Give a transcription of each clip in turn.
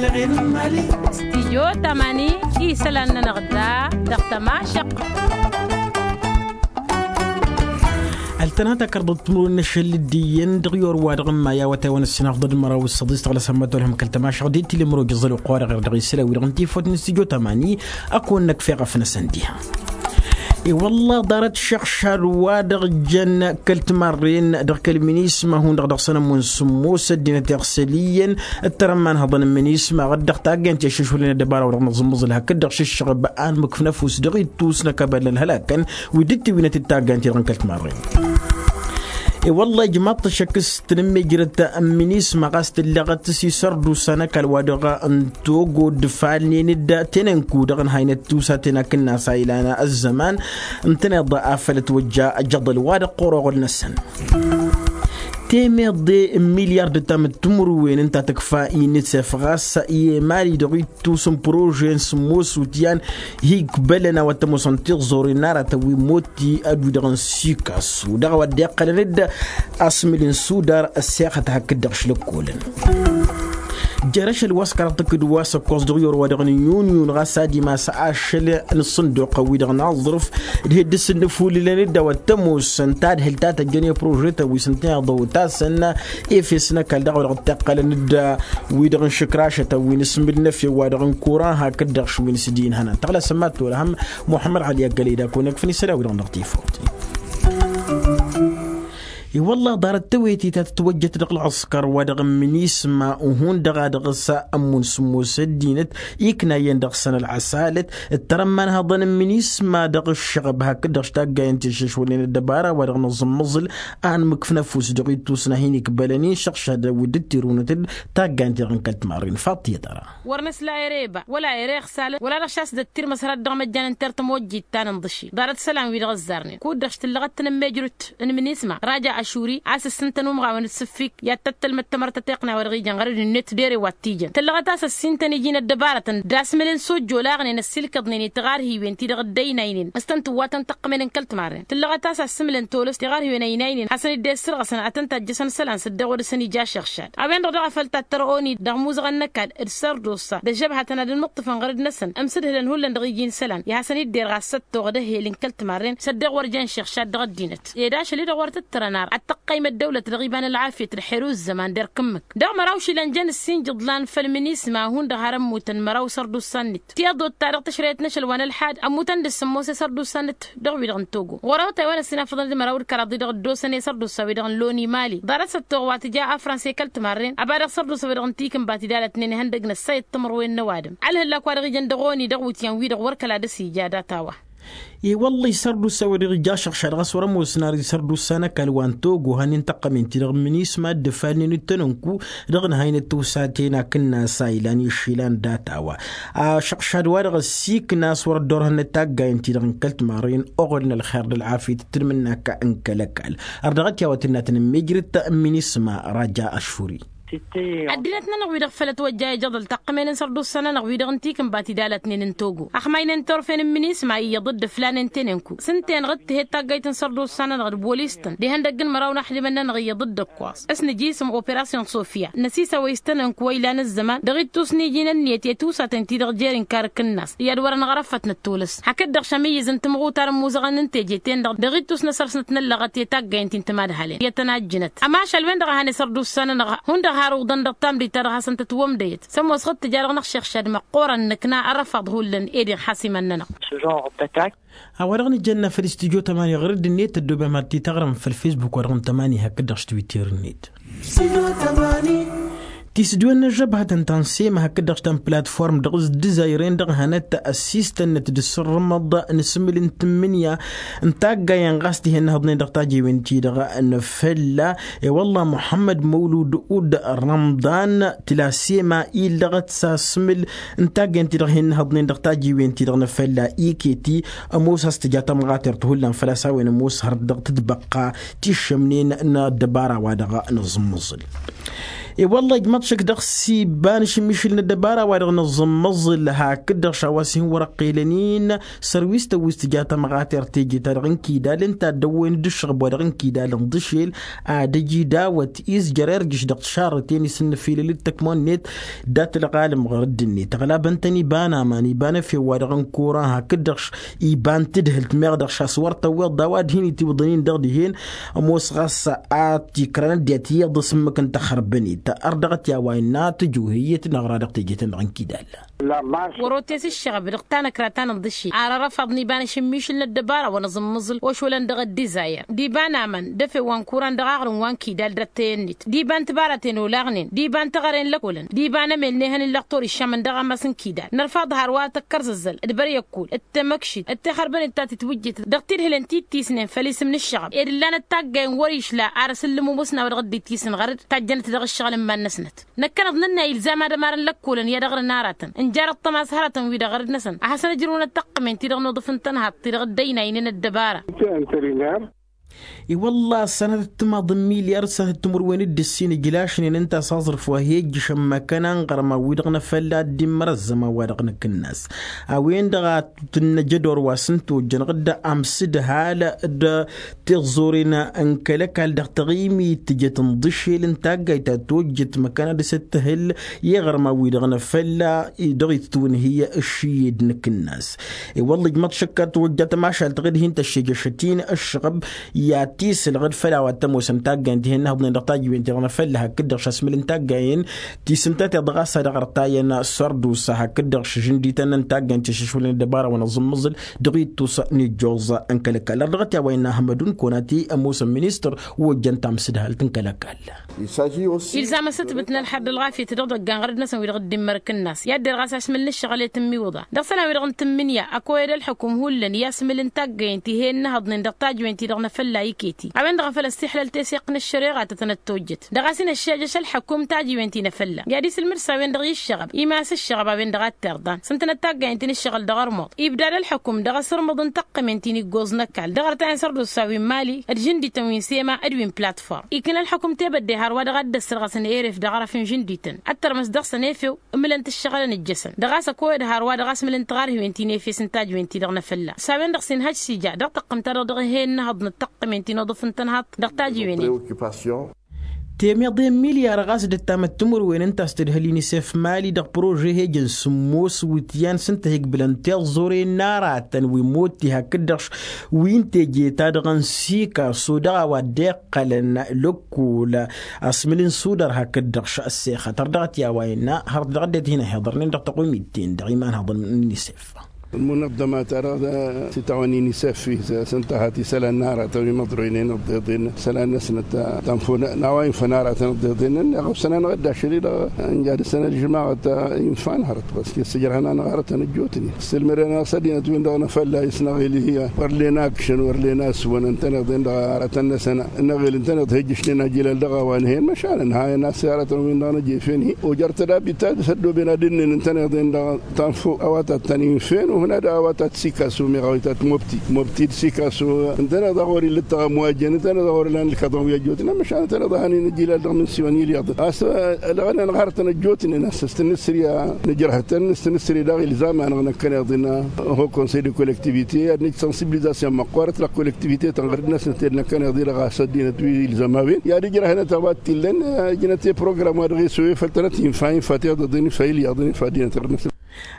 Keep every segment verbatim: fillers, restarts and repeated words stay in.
Stijyo tamani isălan-nănăɣ da dăɣ-tămašăq. Ăltănata kărdăt timǝrwen n-ašăl d-iyyăn dăɣ-i orwa dăɣ-n maya wa tăwăn-ăssinăɣ ḍăd măraw s-săḍis tăɣlăsăm mătolhăm kăl-tămašăɣ d-ittǝlem rojăẓăl uqowa dăɣ-ir dăɣ-isălan wi-dăɣ n-tifot n-stijyo tamani. Ăkon năkf eɣăf-năsăn diha. I-wălla ḍarăt šăɣšad wa dăɣ-jăn kăl-timarren dăɣ-kăl-minisma hundăɣ dăɣ-săn ămmun sǝmmos ăddinăt iɣsăl iyyăn. Ǝttărăn ma n-hăḍăn n-minisma ɣăddăɣ taggăyăn ti ăššăšwălăn ăddăbara wa dăɣ-nǝẓǝmmăẓǝl hakd-dăɣ šǝššăɣ ăbă'an mǝkf n-ăfuss dăɣ-ittus n-ăkabăl n-ălhălakăn wi dd-tiwinăt d-taggăyăn ti-dăɣ n-kăl-timarren. I-wălla ijmaḍ-t ašăk s-tǝnǝmmejrăt n-minisma ɣas tǝllăɣăt s-isărdusa n-ăkall wa dăɣ-n togo dd-ǝfalnen-dd tenănku dăɣ-ǝnhaynăt tusaten akǝnnas a ilan ăzzăman ǝntăneḍ afăl ătwăjja ajăḍăl wa dăɣ-ɣur-oɣăl-năsăn. Temeḍe n-milyar d-ǝttam d-timǝrwen ǝnta tǝkfa inisef ɣas i-emali dăɣ-ittus n-prože n-sǝmmos utyan hi-ikbălăn a-wa t-ămoosăn tiẓẓoren n-aratăn wi n-motti ădwi-dăɣ n-sikasu dăɣ-a-wa dd-iqqălăn-dd asmǝl n-sudar ăssexăt hakd-dăɣ šlăkkolăn. Jer-ašăl wa s-kăraḍ tǝkkǝd wa s-ăkkoẓ dăɣ-i orwa dăɣ-nǝnyunyun ɣas ad-imas ašăl n-ǝssǝnduqăn-wi-dăɣ n-aẓrǝf d-hi-dd-ǝssǝnnǝfulǝlăn-dd a-wa t-ămoosăn tadhǝlt ta tăjjăn i-prožetăn wi s-ǝntăneḍ ăwătasăn efes n-ăkall dăɣ-a-wa dăɣ-t-iqqălăn-dd wi-dăɣ n-išǝkrašătăn wi n-asmǝl n-efew wa dăɣ-n kuran hakd-dăɣ š-wi n-s-dd-inhănăn tăɣlasăn ma t-olhăm muḥămmăd ɣali ăggălăy d-akăwăn-ikfăn isălan-wi-dăɣ dăɣ-tifawt. I-wălla ḍarăt tawăytit a tǝtwăjjăt dăɣ-ălɣǝskăr wa dăɣ-n minisma uhun dăɣ-a dăɣ-s ămmun sǝmmos ăddinăt ikna iyyăn dăɣ-săn ălɣăsalăt ǝttărăn ma n-hăḍăn n-minisma dăɣ-ǝššăɣăb hakd-dăɣ š-taggayăn ti ăššăšwălnen ăddăbara wa dăɣ-nǝẓǝmmăẓǝl a ănmǝkf n-ăfuss dăɣ-ittus n-ad-hin-ikbălăn inšăɣšadăn wi dd-tirǝwnăt-dd taggayăn ti-dăɣ n-kăl-timarren faḍt i-tăra. Wăr năsla ere iba wăla ere iɣsalăn wăla dăɣ-šas d-ăttirmăs hărăt dăɣ-măjjan n-tertăm ojjit ta n-inḍǝši ḍarăt isălan-wi-dăɣ ăzzarnen kud-dăɣ š-tǝllăɣăt tanămmejrut n-minisma raja ašuri a-s ǝssǝntăn umɣawăn d-sǝffik i-ad-tăttălmăd tamărtăt iqqǝn a-wa dăɣ-ijăn ɣărăd-net d-ere wa t-ijăn tǝllăɣăt a-s ăssintăn iji n-ăddăbarătăn d-asmǝl n-sojjolaɣnen ăssiilkăḍnen i-tiɣarhiwen ti-dăɣ dd-ăynaynen s-tăn-tǝwwatăn tăqqămen n-kăl-timarren tǝllăɣăt a-s ăssǝmǝlăn tolăs tiɣarhiwen ăynaynen hasăn-dd-e-ǝssărɣăsăn ad-tăn-tajjăsăn isălan s-dd-e-wăr dăɣ-săn ija ašăɣšad a-wen-dăɣ daɣ a făl tattărăɣ oni dăɣ-imuzăɣăn n-ăkall d-sărdusa d-ăžžăbhatăn ad-ănmǝṭṭǝfăn ɣărăd-năsăn ǝmsǝdhǝlăn hullan dăɣ-iji n-isălan i-hasăn-dd-irɣa s-săttoɣ d-ehel n-kăl-timarren s-ăddeɣ wăr jen šăɣšad dăɣ-ăddinăt ed ašăl-i-dăɣ wăr tǝttărăn ar ad-tăqqăym ăddăwlăt dăɣ-iba n-ălɣafyăt d-xeru ǝzzăman d-erk ǝmmǝk dăɣ-măraw išilan jăn ǝssin jǝḍlan făll-minisma hundăɣ har ămmutăn măraw isărdusa-net ti ăḍot-ta-dăɣ tǝšrăyăt n-ašăl wa n-ălḥad ămmutăn d-sǝmmos isărdusa-net dăɣ-wi-dăɣ n-togo ɣur-awătay wa n-ăssinafăḍăn d-măraw d-kăraḍ-i-dăɣ ăddoosăn isărdusa-wi-dăɣ n-loni mali ḍarăt s-ăttoɣ wa tǝja afrănsa i-kăl-timarren ăba dăɣ-isărdusa-wi-dăɣ n-tikǝnba tidalătnen ihăndăg n-ăssayăt timǝrwen n-ăwadǝm ălhăllak wa dăɣ-ijăn dăɣ-oni dăɣ-iwǝtyan-wi-dăɣ wăr kăla dăr-s ija data-wa. I-wălla isărdusa-wi-dăɣ ija ašăɣšad ɣas wăr-ămoosăn ar isărdusa n-ăkall wa n-togo hănen tăqqămen-ti-dăɣ n-minisma dd-ǝfalnen d-tanănku dăɣ-nǝhăynăt tiwsaten akǝnnas a ilan išilan data-wa ašăɣšad-wa-dăɣ ăssiikna a-s wăr-ăddorhănnăt taggayăn-ti-dăɣ n-kăl-timarren oɣăl n-ălxer d-ălɣafyăt d-tǝnmǝnnak n-kăl-ăkall. Ărdăɣăt i-a-wa tǝnnatăn n-mejrăt n-minisma raja ašuri. Ăddinăt-nănăɣ-wi-dăɣ făl ătwăjja ijăḍăl taqqămen n-sărdusa-nănăɣ-wi-dăɣ n-tikǝnba tidalătnen n-togo ăxmaynen turfen n-minisma iyyăḍ dd-ǝflanen tenănku s-ǝnta-enăɣ d-tǝhed taggayt n-sărdusa-nănăɣ d-bolis-tăn d-ihăndăgg n-măraw n-axdimăn-nănăɣ iyyăḍ dd-ǝkkoẓ s-nǝj isǝm operasyon sofya năsisăwăy s-tanănku wa ilan ăzzăman dăɣ-ittus n-iji n-ǝnniyăt i-tusatăn-ti-dăɣ jer-inkar akǝnnas i-ad-wăr-ănɣărăfăt năttolăs hakd-dăɣ šămǝyyǝz n-timɣutar n-imuzăɣăn n-teje-ten-dăɣ dăɣ-ittus n-asărsnăt n-ăllăɣăt i-taggayăn-ti n-timadhalen i-ad-tăn-ajjǝnăt ămašal-wen-dăɣ a han isărdusa-nănăɣ hundăɣ har uḍăn dăɣ-tamdit-ta-dăɣ hasăn-tătwămdăyăt s-ămoos ɣǝd tǝja dăɣ-năɣ šăɣšad măqqoorăn nǝkna ărăfaḍ hullan ed inxas iman-nănăɣ. A-wa-dăɣ nǝjănna făll-studyo tămani ɣur-dd-net ăddoobem har t-taɣrăm făll-facebook-wa-dăɣ n-tămani hakd-dăɣ s-twitter-net. Tisǝdwen n-ăžžăbhătăn ta n-sema hakd-dăɣ ta n-platform dăɣ-s dǝzayren dăɣ-hănăt ăssistănnăt d-asǝrrǝmăḍ n-asǝmǝl n-tǝmmǝnǝya n-taggayen ɣas dihen n-ihǝḍnen dăɣ-tajewen-ti-dăɣ n-fălla. I-wălla muḥămmăd măwlud ud-rămḍan tǝla sema illăɣăt s-asǝmǝl n-taggayen-ti-dăɣ hin-ihǝḍnen dăɣ-tajewen-ti-dăɣ n-fălla iketi ămoos a-s tǝja tămɣatert hullan făl-a-s a-wen ămoos hărăt dăɣ-tǝtbăqqa tiššămnen n-ăddăbara-wa-dăɣ n-aẓǝmmǝẓǝl. E-wălla ijmăḍ šăk dăɣ-s iba n-ašǝmmišǝl n-ăddăbara wa-dăɣ nǝẓẓǝmmăẓǝl hakd-dăɣ šawa s-hin-wăr-ăqqelăn-in sărwistăn wi s-tǝja tămɣatert teje-ta-dăɣ n-kidal ǝnta a dd-ăwwăyăn d-ǝššăɣăb wa-dăɣ n-kidal n-iḍǝšel ad-ăj idawăt izjăr irjǝš dăɣ-tišarrǝten isǝnnăfilăl d-tăkmăwănnet. Dat-ălɣalăm ɣur-ăddinnet ăɣlabăn-tăn iba n-aman iba n-efew wa dăɣ-n kuran hakd-dăɣ iba n-tǝdhǝlt meɣ dăɣ-š a-s wăr tăwweḍ d-a-wa d-hin-itiwǝḍăn-in dăɣ-dihen. Ămoos ɣas a t-ikrăn ăddinăt iyyăḍ s-ǝmmǝk n-taxărbănit ărdăɣăt i-a-wa innă tǝju hiyyăt n-aɣra dăɣ-teje-tăn-dăɣ n-kidal. Wăr-otes ǝššăɣăb dăɣ-tanăkra ta n-iḍǝšel ar ărăfaḍăn iba n-ašǝmmišǝl n-ăddăbara wa nǝẓǝmmǝẓǝl ošwălăn dăɣ-ăddizayăr d-iba n-aman d-efew wa n-kuran dăɣ-aɣrǝm wa n-kidal d-ăttăyănnit d-iba n-tibaraten olaɣnen d-iba n-teɣăre n-lăkolăn d-iba n-emel n-ehăn n-lăqtor iššamăn dăɣ-ammas n-kidal. Nărfaḍ hărwa tăkkărzăzzăl d-băryăkkul d-temăkšit d-tixărbănit ta tǝtwǝjjǝt dăɣ-tidhǝlen ti t-tisnen făll-isǝm n-ǝššăɣăb ed ǝllanăt taggayen wăr-išla ar ăsǝllǝm umusnaw dăɣ-dd-itisǝn ɣăr-dd tajjănăt dăɣ-ǝššăɣǝl n-iman-năsnăt. Năkkăneḍ nǝnna ilzam ad-ămarăn lăkkolăn i-ad-ăɣrǝn aratăn nǝjar ăṭṭămas hărătăn-wi-dăɣ ɣărăd-năsăn ad-hasăn-ǝjrǝwăn ăttăqqǝmen-ti-dăɣ n-uḍǝf n-tănhaḍt-ti-dăɣ dd-ăynaynen ăddăbara. I-wălla sănătăt timaḍ n-milyar sănătăt timǝrwen d-ǝssin ǝjlašnen ǝnta a-s aẓrǝf wa hi-ejjǝšăn măkkăna n-iɣărman-wi-dăɣ n-afălla ad-dd-immăr ăzzăman wa dăɣ-năkk-năs a-wen-dăɣ a tǝnnăj ădor wa s-ǝnta ojjăn ɣǝdda amsǝdhal d-tiẓẓuren n-kăl-ăkall dăɣ-taɣimit tǝjăt n-iḍǝšel n-taggayt ta tojjăt măkkăna dăɣ-s dd-tǝhǝl i-iɣărman-wi-dăɣ n-afălla dăɣ-itǝtwǝnhǝy ǝššǝyyed nǝkk-năs. I-wălla ijmăḍ šăkk ad-tǝwăjja tămašalt ɣǝd-hin-tăššejăšăt-in ǝššăɣăb i-ad-t-isǝlɣǝd făll-a-wa t-ămoosăn taggayen ti hin-nǝhǝḍnen dăɣ-tajǝwen-ti-dăɣ n-afălla hakd-dăɣ šasmǝl n-taggayen ti s-ǝnta-ti-dăɣ a-s ad-ăɣrătayăn s-ărdusa hakd-dăɣ šǝžǝndităn n-taggayen ti šǝšwǝlăn ăddăbara wa n-aẓǝmmǝẓǝl dăɣ-ittus n-ijjoẓ n-kăl-ăkall ărdăɣăt i-a-wa innă ahmădun konati ămoosăn ministăr wa ojjăn tamsǝdhalt n-kăl-ăkall. Ilzam asǝtbǝt n-ălxer d-ălɣafyăt dăɣ-idăggan ɣărăd-năsăn wi-dăɣ dd-immărk ǝnnas i-ad-derɣas ašmǝl n-ǝššăɣǝl i-tǝmmiwǝḍa dăɣ-isălan-wi-dăɣ n-tǝmmǝnǝya ăkoyăd ălxukum hullan i-asmǝl n-taggayen ti he-ǝnnăhăḍnen dăɣ-tajǝwen-ti-dăɣ n-afălla iket-i a-wen-dăɣ a făl ăssiixlăl teseɣt n-ăššăreɣa ta tănăt-tojjăt dăɣ-a-s inăššejăš ălxukum tajǝwen-ti n-afălla i-ad-isǝlmǝd s-a-wen-dăɣ i-ǝššăɣăb imas ǝššăɣăb a-wen-dăɣ a t-irḍan s-ǝntănăt taggayen ti n-ǝššăɣǝl dăɣ-ărmuḍ ibdad ălxukum dăɣ-asǝrmǝḍ n-tăqqămen ti n-iggoẓ n-ăkall dăɣ-arătayăn s-ărdusa wi n-mali d-žǝndităn wi n-sema d-wi n-platform ikna ălxukum tebădde hărwa dăɣ-ad-dd-ăssărɣăsăn eref dăɣ-arăf n-žǝndităn ad-tărmăs dăɣ-săn efew ǝmǝlăn-t ǝššăɣǝlăn ǝjjăsăn dăɣ-a-s ăkoyăd hărwa dăɣ-asmǝl n-tiɣarhiwen ti n-efes n-tajǝwen-ti-dăɣ n-afălla s-a-wen-dăɣ s-inhăj s-ija dăɣ-tăqqǝmt-ta-dăɣ dăɣ-ehe ǝnnăhăḍ n-ăṭṭăqqămen ti n-uḍǝf n-tănhaḍt dăɣ-tajǝwen-en. Temiḍe n-milyar ɣas d-ăttamăt timǝrwen ǝnta a-s tǝdhǝl inisef mali dăɣ-prože hejăn sǝmmos wǝtyan s-ǝnta a hi-ǝqbǝlăn tiẓẓuren n-aratăn wi n-motti hakd-dăɣ wi n-teje-ta-dăɣ n-sikaso dăɣ-a-wa dd-iqqălăn lăkkol asmǝl n-sudar hakd-dăɣ ăssexăt ărdăɣăt i-a-wa innă hărăt dăɣ-ăddinăt hin-ăhiḍărnen dăɣ-tăqwimit-ten-dăɣ imanhăḍăn n-inisef. Ălmunăḍḍăma-ta-dăɣ s-itawăn inisef s-ǝnta a hat-isălan n-aratăn wi măḍroynen ăḍḍeḍen isălan-năsnăt. Tanfon n-a-wa infăn aratăn ăḍḍeḍen-nănăɣ ăwsăn-anăɣ-dd ašăl-i-dăɣ ǝnja dăr-săn ălžămaɣăt. Infan hărăt băskes sǝjrăhăn-anăɣ aratăn ăjjootnen ǝssǝlmădăn-anăɣ s-ăddinăt-win-dăɣ n-afălla isnăɣ-ilhi wăr len akšăn wăr len asǝwăn ǝntăneḍ-en-dăɣ aratăn-năsăn ănnăɣ-el ǝntăneḍ hejjăšnen ajilal dăɣ-a-wa nǝhen măšan ǝnhayăn a-s i-aratăn-win-dăɣ n-ejefen-hi ojăr tădabit ta dăr-s ăddooben ad-ǝnnen ǝntăneḍ-en-dăɣ tanfo a-wa ta t-tăn-infen uhǝn ad-a-wa ta t-sikasu meɣ a-wa ta t-mobti mobti d-sikasu ǝntăneḍ a ɣur-illăt tăɣămwajăn ǝntăneḍ a ɣur-ǝllan ǝlkaḍăn wi ăjjootnen măšan ǝntăneḍ a hănen ijilal dăɣ-imǝnsiwăn ilyaḍ a-s ălɣănăn ɣarătăn ăjjootnen a-s s-tǝnnǝsri a nǝjrăh tăn-s tǝnnǝsri daɣ ilzam-anăɣ năkkăneḍ-in ho konsey de kollektivite i-ad-nǝj sansibilizasyon măqqoorăt la kollektivite-tăn ɣur-dd-năsnăt ed năkkăneḍ-i-dăɣ a-s ăddinăt wi ilzăm a-wen i-ad-ǝjrăhnăt a-wa t-illăn. Ǝjnăt i-program wa dăɣ-e-s oye făll-tănăt infa infa tiḍăḍen infa ilyaḍen infa ăddinăt ɣur-dd-năsnăt.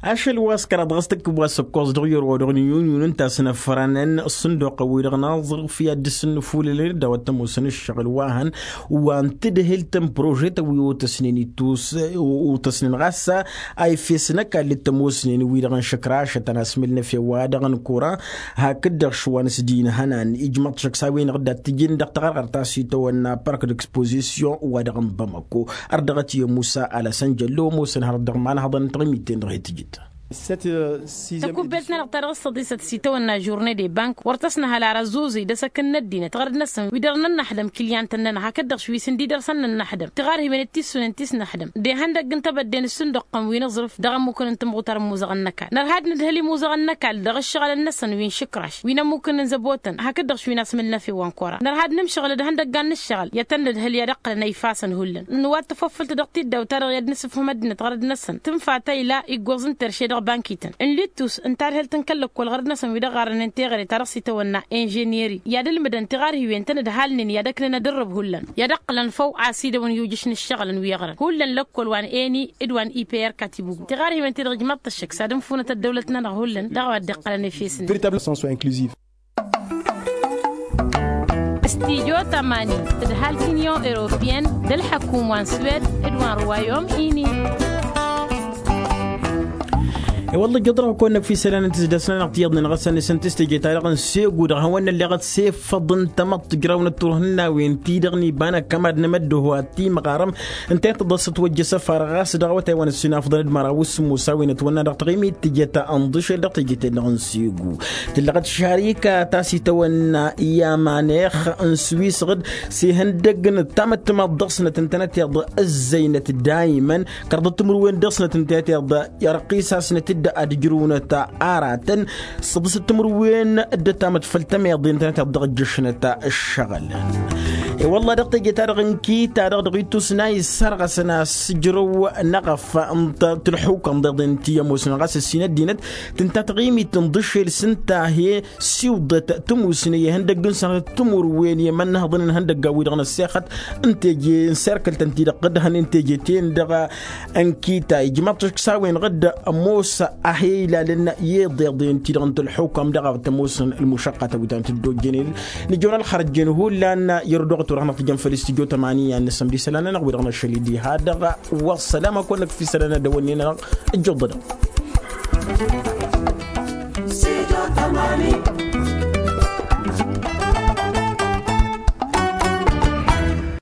Ašăl wa s-kăraḍ ɣas tǝkkǝb wa s-ǝkkoẓ dăɣ-iwǝr wa dăɣ-nǝyunyun ǝnta a-s năfrănăn ǝssǝnduqăn-wi-dăɣ n-aẓrǝf i-ad-dd-sǝnnǝfulălăn d-a-wa t-ămoosăn ǝššăɣǝl wa hăn wa n-tǝdhǝlt n-prožetăn wi otăsnen ittus otăsnen ɣas a ifes n-ăkall d-tămoosnen wi-dăɣ n-išǝkrašătăn asmǝl n-efew wa dăɣ-nǝkura. Hakd-dăɣ šwan s-dinhănan ijmăḍ šăkk s-a-wen-dăɣ dd-ad-t-ijǝn dăɣ-taɣărɣărt ta s-itawănna park d-expozisyon wa dăɣ-n bamăko ărdăɣăt i-musa alăsăn jăllo ămoosăn hărăt dăɣ-imanhăḍăn n-taɣimit-ten-dăɣ he-tǝjǝt. Tăkubbelt-nănăɣ ta dăɣ-s tăḍisăt s-itawănna žurne de bank wăr tăsnăhăl ara ăzzuẓǝy d-asăkăn n-ăddinăt ɣărăd-năsăn wi dăr-nănnaxdăm kilyan-tăn-nănăɣ hakd-dăɣ š-wi s-ǝndi dăr-săn nănnaxdăm tiɣarhiwen d-tissunen ti s-năxdăm d-ihăndăgg n-tebădde n-ǝssǝnduqqăn wi n-aẓrǝf dăɣ-ămmukăn n-tǝmɣutar n-imuzăɣăn n-ăkall nărhad nǝdhăl imuzăɣăn n-ăkall dăɣ-ǝššăɣǝlăn-năsăn wi n-išǝkraš wi n-ămmukăn n-zăbotăn hakd-dăɣ š-wi n-asmǝlnăf i-wa n-kora nărhad nǝmšăɣǝl d-ihăndăggan n-ǝššăɣǝl i-ad-tăn-nǝdhăl i-ad-ăqqǝlăn ăyfasăn hullan n-wa t-tăfăffǝlt dăɣ-tiddaw-ta-dăɣ i-ad-nǝsǝfhǝm ăddinăt ɣărăd-năsăn tǝnfa ta ila iggoẓ n-terše dăɣ-bankităn n-littus n-tadhǝlt n-kăl-lăkkol ɣărăd-năsăn wi dăɣ-ɣarrănen teɣăre ta dăɣ-s itawănna inžiniyări i-ad-ǝlmǝdăn tiɣarhiwen-tăn d-halnen i-ad-ăknen ad-ǝrrǝb hullan i-ad-ăqqǝlăn făw a-s idăwăn i-ujǝš n-ǝššăɣǝlăn wi ăɣrăn hullan lăkkol wa n-eni d-wa n-iper katibugu tiɣarhiwen-ti-dăɣ ijmaḍ-t ăššăk s-ad-ǝnfunăt ăddăwlăt-nănăɣ hullan dăɣ-a-wa dd-iqqălăn efes-net. Studyo tămani tǝdhal tinyon europiyăn d-ălḥăkum wa n-swed d-wa n-ruwayom ini. I-wălla ǝjjăḍ-dăɣ kăwăn-năkf isălan n-tǝzdăsnănăɣ tiyyăḍnen ɣas ănn-săn tǝstǝje-ta-dăɣ n-segu dăɣ-hawăn-nălleɣăt s-e-ǝffăḍ n-tamăḍt tǝjrawăn d-turhǝnnawen-ti-dăɣ n-iba n-akămad n-emăddoho ad-t-imɣarăm ǝnta i-tăḍăssăt wăjjăsăfar ɣas dăɣ-awătay wa n-ǝssinafḍăn d-măraw s-sǝmmusawen ătwănna dăɣ-taɣimit tǝjăt ănḍǝšel dăɣ-teje-ten-dăɣ n-segu tǝllăɣăt šarika ta s-itawănna i-amanex n-swisăɣ-dd s-ihăndăgg n-tamăttămaḍt dăɣ-snăt ǝntănăteḍ ǝzzăynăt daymăn kărḍăt timǝrwen dăɣ-snăt ǝntănăteḍ i-răqqisasnăt-dd ad-ǝjrǝwnăt aratăn s-ăḍǝsăt timǝrwen dd-ătamăt făll-tămeḍe ǝntănăteḍ dăɣ-ǝjjăšnăt ǝššăɣǝl. I-wălla dăɣ-teje-ta-dăɣ n-kita-dăɣ dăɣ-ittus n-a issărɣăsăn a-s ǝjrăw n-eɣăf n-tălxukăn deḍen ti ămoosnen ɣas ǝssin ăddinăt tǝnta taɣimit n-iḍǝššel s-ǝnta a he-siwḍăt tămusne i-ihăndăgg n-sănatăt timǝrwen i-imănnăhăḍăn n-ihăndăggan-wi-dăɣ n-ăssexăt n-teje n-serkăl-tăn-ti-dăɣ dd-hănen teje-ten-dăɣ n-kita ijmaḍ-t ăšk s-a-wen-dăɣ ămoos a he-ilalăn i-iḍeḍen-ti-dăɣ n-tălxukam dăɣ-a tămoosăn ălmušăqqatăn wi ta n-tăddojen-dd nǝjăwăn ălxărăt jen hullan i-ărduɣăt wăr hanăɣ-tǝjăn făll-istudyo tămani i-ad-nǝsăm d-isălan-nănăɣ wi-dăɣ n-ašăl-i diha-dăɣ. Wa ăssălam a kăwăn-năkf isălan ad-dăwănnen-anăɣ ǝjjuḍ-dăɣ.